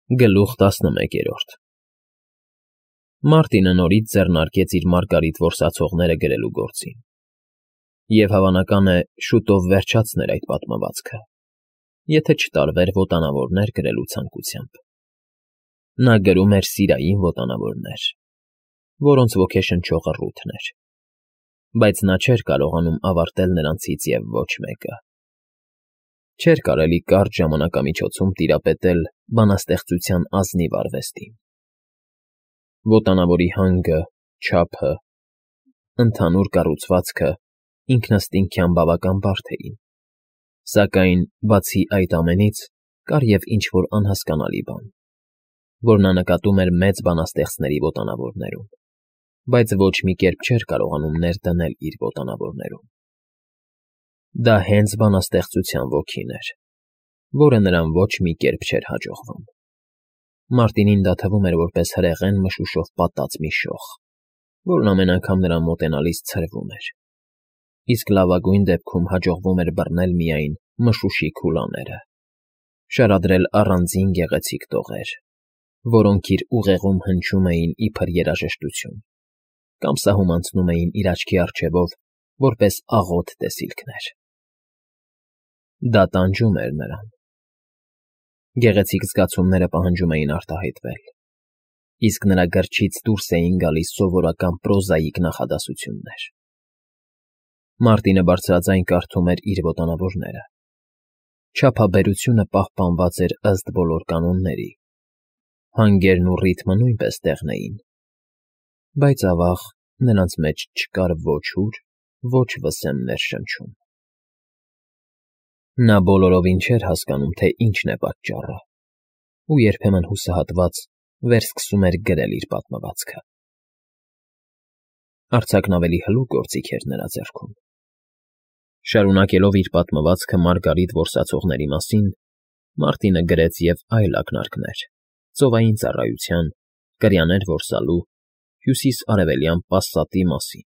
Գլուխ 11 Մարտինը նորից ձեռնարկեց իր մարգարիտ որսացողները գրելու գործին, և հավանական է, շուտով վերջացներ այդ պատմվածքը, եթե չտարվեր ոտանավորներ գրելու ցանկությամբ։ Նա գրում էր սիրային ոտանավորներ, որոնց ոգեշնչողը Ռութն էր, բայց նա չէր կարողանում ավարտել նրանցից և ոչ մեկը։ Չէր կարելի կարճ ժամանակամիջոցում տիրապետել բանաստեղծության ազնիվ արվեստին։ Ոտանավորի հանգը, չափը, ընդհանուր կառուցվածքը ինքնըստինքյան բավական բարդ էին, սակայն, բացի այդ ամենից, կար և ինչ-որ անհասկանալի բան, որ նա նկատում էր մեծ բանաստեղծների ոտանավորներում, բայց ոչ մի կերպ չէր կարողանում ներդնել իր ոտանավորներում։ Դա հենց բանաստեղծության ոգին էր, որը նրան ոչ մի կերպ չէր հաջողվում։ Մարտինին դա թվում էր որպես հրեղեն մշուշով պատած մի շող, որն ամեն անգամ նրան մոտենալիս ցրվում էր, իսկ լավագույն դեպքում հաջողվում էր բռնել միայն մշուշի քուլաները, շարադրել առանձին գեղեցիկ տողեր, որոնք իր ուղեղում հնչում էին իբր երաժշտություն կամ սահում անցնում էին իր աչքի առջևով որպես աղոտ տեսիլքներ։ Դա տանջում էր նրան։ Գեղեցիկ զգացումները պահանջում էին արտահայտվել, իսկ նրա գրչից դուրս էին գալիս սովորական պրոզաիկ նախադասություններ։ Մարտինը բարձրաձայն կարդում էր իր ոտանավորները։ Չափաբերությունը պահպանված էր ըստ բոլոր կանոնների, հանգերն ու ռիթմը նույնպես տեղն էին, բայց, ավաղ, նրանց մեջ չկար ոչ հուր, ոչ վսեմ ներշնչում։ Նա բոլորովին չէր հասկանում, թե ինչն է պատճառը, ու երբեմն հուսահատված վերսկսում էր գրել իր պատմվածքը։ Արձակն ավելի հլուկ գործիք էր նրա ձեռքում։ Շարունակելով իր պատմվածքը մարգարիտ որսացողների մասին, Մարտինը գրեց և այլ ակնարկներ՝ ծովային ծառայության, կրյաներ որսալու, հյուսիս֊արևելյան պասատի մասին։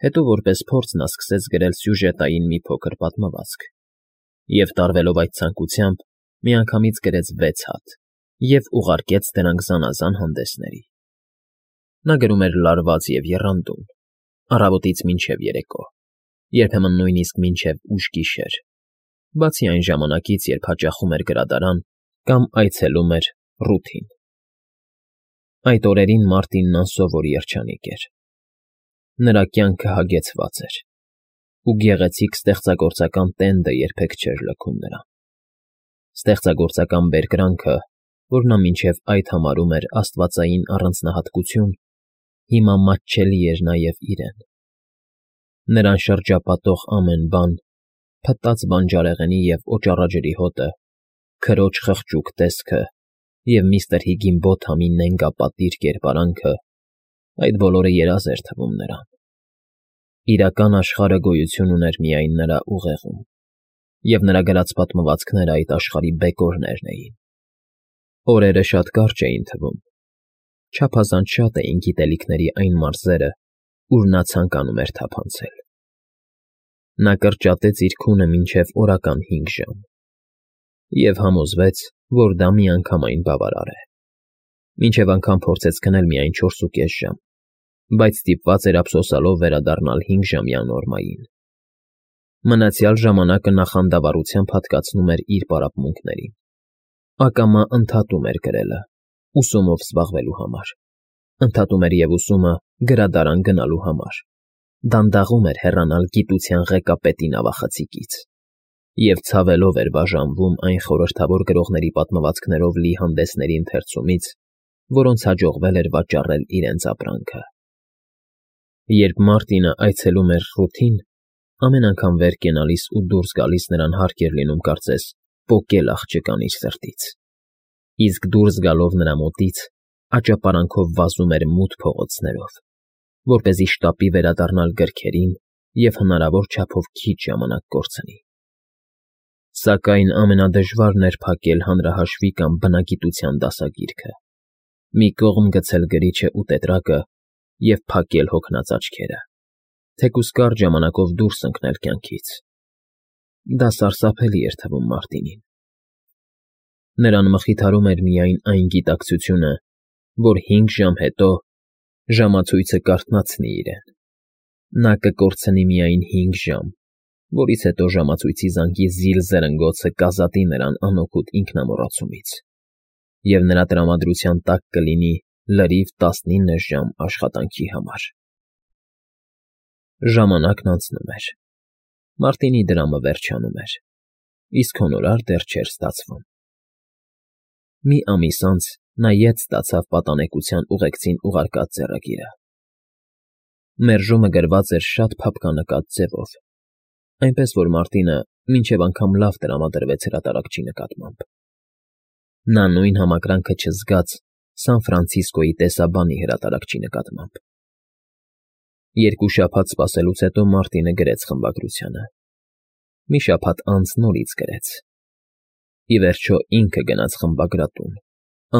Հետո որպես փորձ նա սկսեց գրել սյուժետային մի փոքր պատմվածք և, տարվելով այդ ցանկությամբ, միանգամից գրեց 6 հատ և ուղարկեց դրանք զանազան հանդեսների։ Նա գրում էր լարված և եռանդուն, առավոտից մինչև երեկո, երբեմն նույնիսկ մինչև ուշ գիշեր, բացի այն ժամանակից, երբ հաճախում էր գրադարան կամ այցելում էր Ռութին։ Այդ օրերին Մարտինն անսովոր երջանիկ էր։ Նրա կյանքը հագեցված էր, ու գեղեցիկ ստեղծագործական տենդը երբեք չէր լքում նրան։ Ստեղծագործական բերկրանքը, որ նա մինչև այդ համարում էր աստվածային առանձնահատկություն, հիմա մատչելի էր նաև իրեն։ Նրան շրջապատող ամեն բան՝ փտած բանջարեղենի և օճառաջրի հոտը, քրոջ խղճուկ տեսքը և միստր Հիգինբոթամի նենգապատիժ կերպարանքը, այդ բոլորը երազ էր թվում նրան։ Իրական աշխարհը գոյություն ուներ միայն նրա ուղեղում, և նրա գրած պատմվածքները այդ աշխարհի բեկորներն էին։ Օրերը շատ կարճ էին թվում, չափազանց շատ էին գիտելիքների այն մարզերը, ուր նա ցանկանում էր թափանցել։ Նա կրճատեց իր քունը մինչև օրական 5 ժամ և համոզվեց, որ դա միանգամայն բավարար է։ Մինչև անգամ փորձեց քնել միայն 4.5 ժամ, բայց ստիպված էր ափսոսալով վերադառնալ 5-ժամյա նորմային։ Մնացյալ ժամանակը նա խանդավառությամբ հատկացնում էր իր պարապմունքներին, ակամա ընդհատում էր գրելը՝ ուսումով զբաղվելու համար, ընդհատում էր և ուսումը գրադարան գնալու համար, դանդաղում էր հեռանալ գիտության ղեկապետի նավախցիկից և ցավելով էր բաժանվում այն խորհրդավոր գրողների պատմվածքներով լի հանդեսների ընթերցումից, որոնց հաջողվել էր վաճառել իրենց ապրանքը։ Երբ Մարտինը այցելում էր Ռութին, ամեն անգամ վեր կենալիս ու դուրս գալիս նրան հարկ էր լինում կարծես պոկել աղջկան իր սրտից, իսկ դուրս գալով նրա մոտից աճապարանքով վազում էր մութ փողոցներով, որպեսզի շտապի վերադառնալ գրքերին և հնարավոր չափով քիչ ժամանակ կորցնի։ Սակայն ամենադժվարն էր փակել հանրահաշվի կամ բնագիտության դասագիրքը, մի կողմ գցել գրիչը ու տետրակը և փակել հոգնած աչքերը, թեկուզ կարճ ժամանակով դուրս ընկնել կյանքից։ Դա սարսափելի էր թվում Մարտինին։ Նրան մխիթարում էր միայն այն գիտակցությունը, որ 5 ժամ հետո ժամացույցը կարթնացնի իրեն։ Նա կկորցնի միայն 5 ժամ, որից հետո ժամացույցի զանգի զիլ զրնգոցը կազատի նրան անօգուտ ինքնամոռացումից, և նրա տրամադրության տակ կլինի լրիվ 19 ժամ աշխատանքի համար։ Ժամանակն անցնում էր։ Մարտինի դրամը վերջանում էր, իսկ հոնորար դեռ չէր ստացվում։ Մի ամիս անց նա ետ ստացավ պատանեկության ուղեկցին ուղարկած ձեռագիրը։ Մերժումը գրված էր շատ փափկանկատ ձևով, այնպես որ Մարտինը մինչև անգամ լավ տրամադրվեց հրատարակչի նկատմամբ։ Նա նույն համակրանքը չզգաց Սան Ֆրանցիսկոյի տեսաբանի հրատարակչի նկատմամբ։ 2 շաբաթ սպասելուց հետո Մարտինը գրեց խմբագրությանը։ Մի շաբաթ անց նորից գրեց։ Ի վերջո ինքը գնաց խմբագրատուն,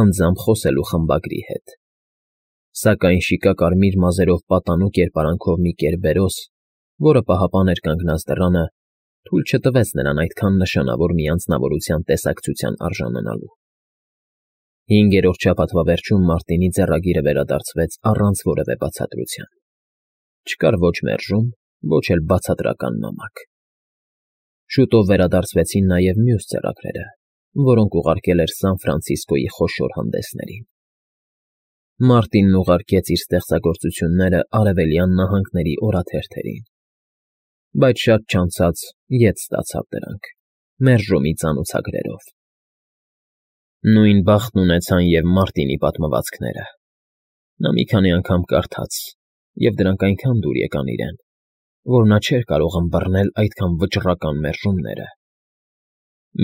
անձամբ խոսելու խմբագրի հետ։ Սակայն շիկակարմիր մազերով պատանու կերպարանքով մի կերբերոս, որը պահապան էր կանգնած դռանը, թույլ չտվեց նրան այդքան նշանավոր մի անձնավորության տեսակցության արժանանալու։ 5-րդ շաբաթվա վերջում Մարտինի ձեռագիրը վերադարձվեց առանց որևէ բացատրության։ Չկար ոչ մերժում, ոչ էլ բացատրական նամակ։ Շուտով վերադարձվեցին նաև մյուս ձեռագրերը, որոնք ուղարկել էր Սան Ֆրանցիսկոյի խոշոր հանդեսներին։ Մարտինն ուղարկեց իր ստեղծագործությունները Արևելյան նահանգների օրաթերթերին, բայց շատ չանցած ետ ստացավ դրանք, մերժումի ծանոցագրերով։ Նույն բախտն ունեցան և Մարտինի պատմվածքները։ Նա մի քանի անգամ կարդաց, և դրանք այնքան դուր եկան իրեն, որ նա չէր կարող ըմբռնել այդքան վճռական մերժումները։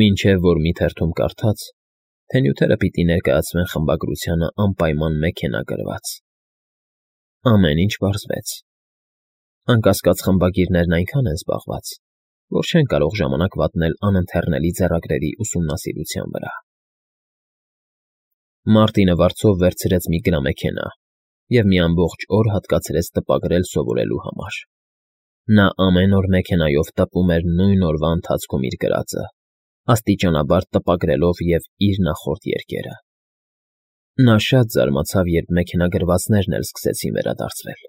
Մինչև որ մի թերթում կարդաց, թե նյութերը պիտի ներկայացվեն խմբագրությանը անպայման մեքենագրված։ Ամեն ինչ պարզվեց։ Անկասկած խմբագիրներն այնքան են զբաղված, որ չեն կարող ժամանակ վատնել անընթեռնելի ձեռագրերի ուսումնասիրության վրա։ Մարտինը վարձով վերցրեց մի գրամեքենա և մի ամբողջ օր հատկացրեց տպագրել սովորելու համար։ Նա ամեն օր մեքենայով տպում էր նույն օրվա ընթացքում իր գրածը, աստիճանաբար տպագրելով և իր նախորդ երգերը։ Նա շատ զարմացավ, երբ մեքենագրվածներն էլ սկսեցին վերադարձվել։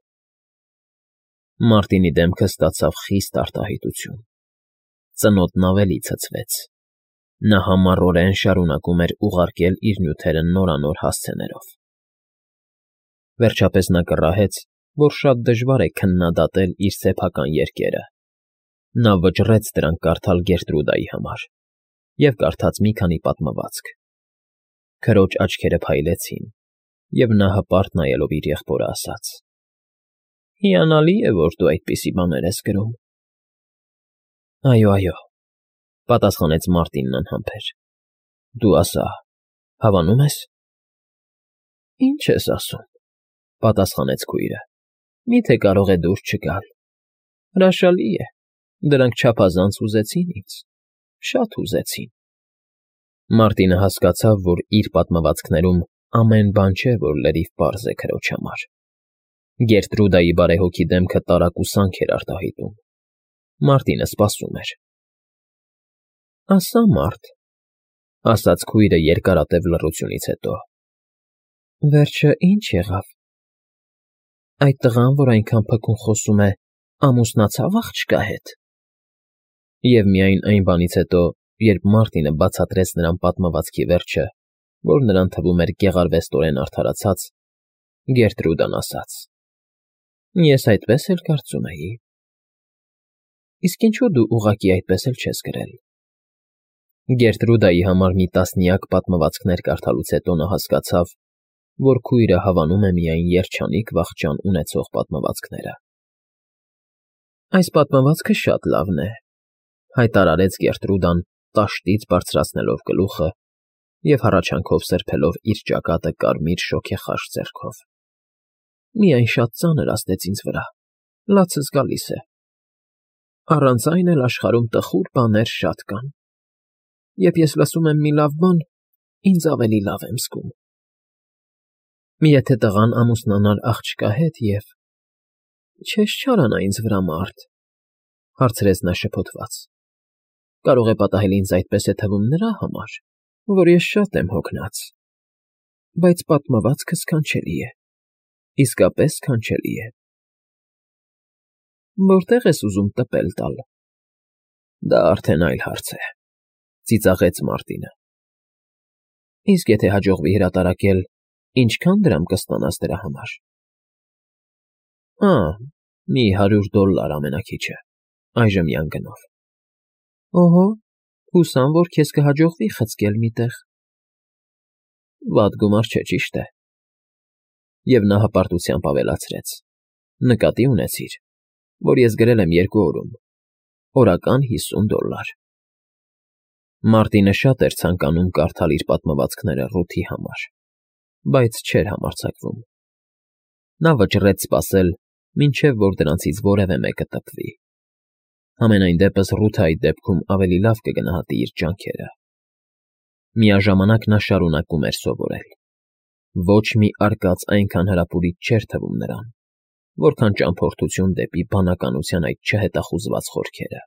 Մարտինի դեմքը ստացավ խիստ արտահայտություն։ Ծնոտն ավելի ցցվեց։ Նա համառորեն շարունակում էր ուղարկել իր նյութերը նորանոր հասցեներով։ Վերջապես նա կռահեց, որ շատ դժվար է քննադատել իր սեփական երգերը։ Նա վճռեց դրանք կարդալ Գերտրուդայի համար և կարդաց մի քանի պատմվածք։ Քրոջ աչքերը փայլեցին, և նա հպարտ նայելով իր եղբորը ասաց. «Հիանալի է, որ դու այդպիսի բաներ ես գրում»։ Այո, պատասխանեց Մարտինն անհամբեր։ Դու ասա, հավանո՞ւմ ես։ Ինչ ես ասում, պատասխանեց քույրը։ Միթե կարող է դուրս չգալ։ Հրաշալի է, դրանք չափազանց հուզեցին ինձ, շատ հուզեցին։ Մարտինը հասկացավ, որ իր պատմվածքներում ամեն բան չէ, որ լրիվ պարզ է քրոջ համար։ Գերտրուդայի բարեհոգի դեմքը տարակուսանք էր արտահայտում։ Մարտինը սպասում էր։ Ասա, Մարտ, ասաց քույրը երկարատև լռությունից հետո։ Վերջը ինչ եղավ։ Այդ տղան, որ այնքան փքուն խոսում է, ամուսնացավ աղջկա հետ։ Եվ միայն այն բանից հետո, երբ Մարտինը բացատրեց նրան պատմվածքի վերջը, որ նրան թվում էր գեղարվեստորեն արդարացած, Գերտրուդան ասաց. Ես այդպես էլ կարծում էի։ Իսկ ինչու դու ուղղակի այդպես էլ չես գրել։ Գերտրուդայի համար մի տասնյակ պատմվածքներ կարդալուց հետո նա հասկացավ, որ քույրը հավանում է միայն երջանիկ վախճան ունեցող պատմվածքները։ Այս պատմվածքը շատ լավն է, հայտարարեց Գերտրուդան, տաշտից բարձրացնելով գլուխը և հառաչանքով սրբելով իր ճակատը կարմիր շոգեխաշ ձեռքով։ Միայն շատ ծանր ազդեց ինձ վրա, լացս գալիս է։ Առանց այն էլ աշխարհում տխուր բաներ շատ կան։ Երբ ես լսում եմ մի լավ բան, ինձ ավելի լավ եմ զգում։ Եթե տղան ամուսնանար աղջկա հետ և… Չես չարանա ինձ վրա, Մարտ, հարցրեց նա շփոթված։ Կարող է պատահել ինձ այդպես է թվում նրա համար։ որ ես շատ եմ հոգնած, բայց պատմվածքը սքանչելի է, իսկապես սքանչելի է։ Որտե՞ղ ես ուզում տպել տալ։ Դա արդեն այլ հարց է, ծիծաղեց Մարտինը։ Իսկ եթե հաջողվի հրատարակել, ինչքան դրամ կստանաս դրա համար։ Մի $100 ամենաքիչը, այժմյան գնով։ Օհո, հուսամ, որ քեզ կհաջողվի խցկել մի տեղ։ Վատ գումար չէ, ճիշտ է։ Եվ նա հպարտությամբ ավելացրեց. նկատի ունեցիր, որ ես գրել եմ 2 օրում, օրական $50։ Մարտինը շատ էր ցանկանում կարդալ իր պատմվածքները Ռութի համար, բայց չէր համարձակվում։ Նա վճռեց սպասել, մինչև որ դրանցից որևէ մեկը տպվի։ Համենայն դեպս Ռութը այդ դեպքում ավելի լավ կգնահատի իր ջանքերը։ Միաժամանակ նա շարունակում էր սովորել։ Ոչ մի արկած այնքան հրապուրիչ չէր թվում նրան, որքան ճամփորդություն դեպի բանականության այդ չհետախուզված խորքերը։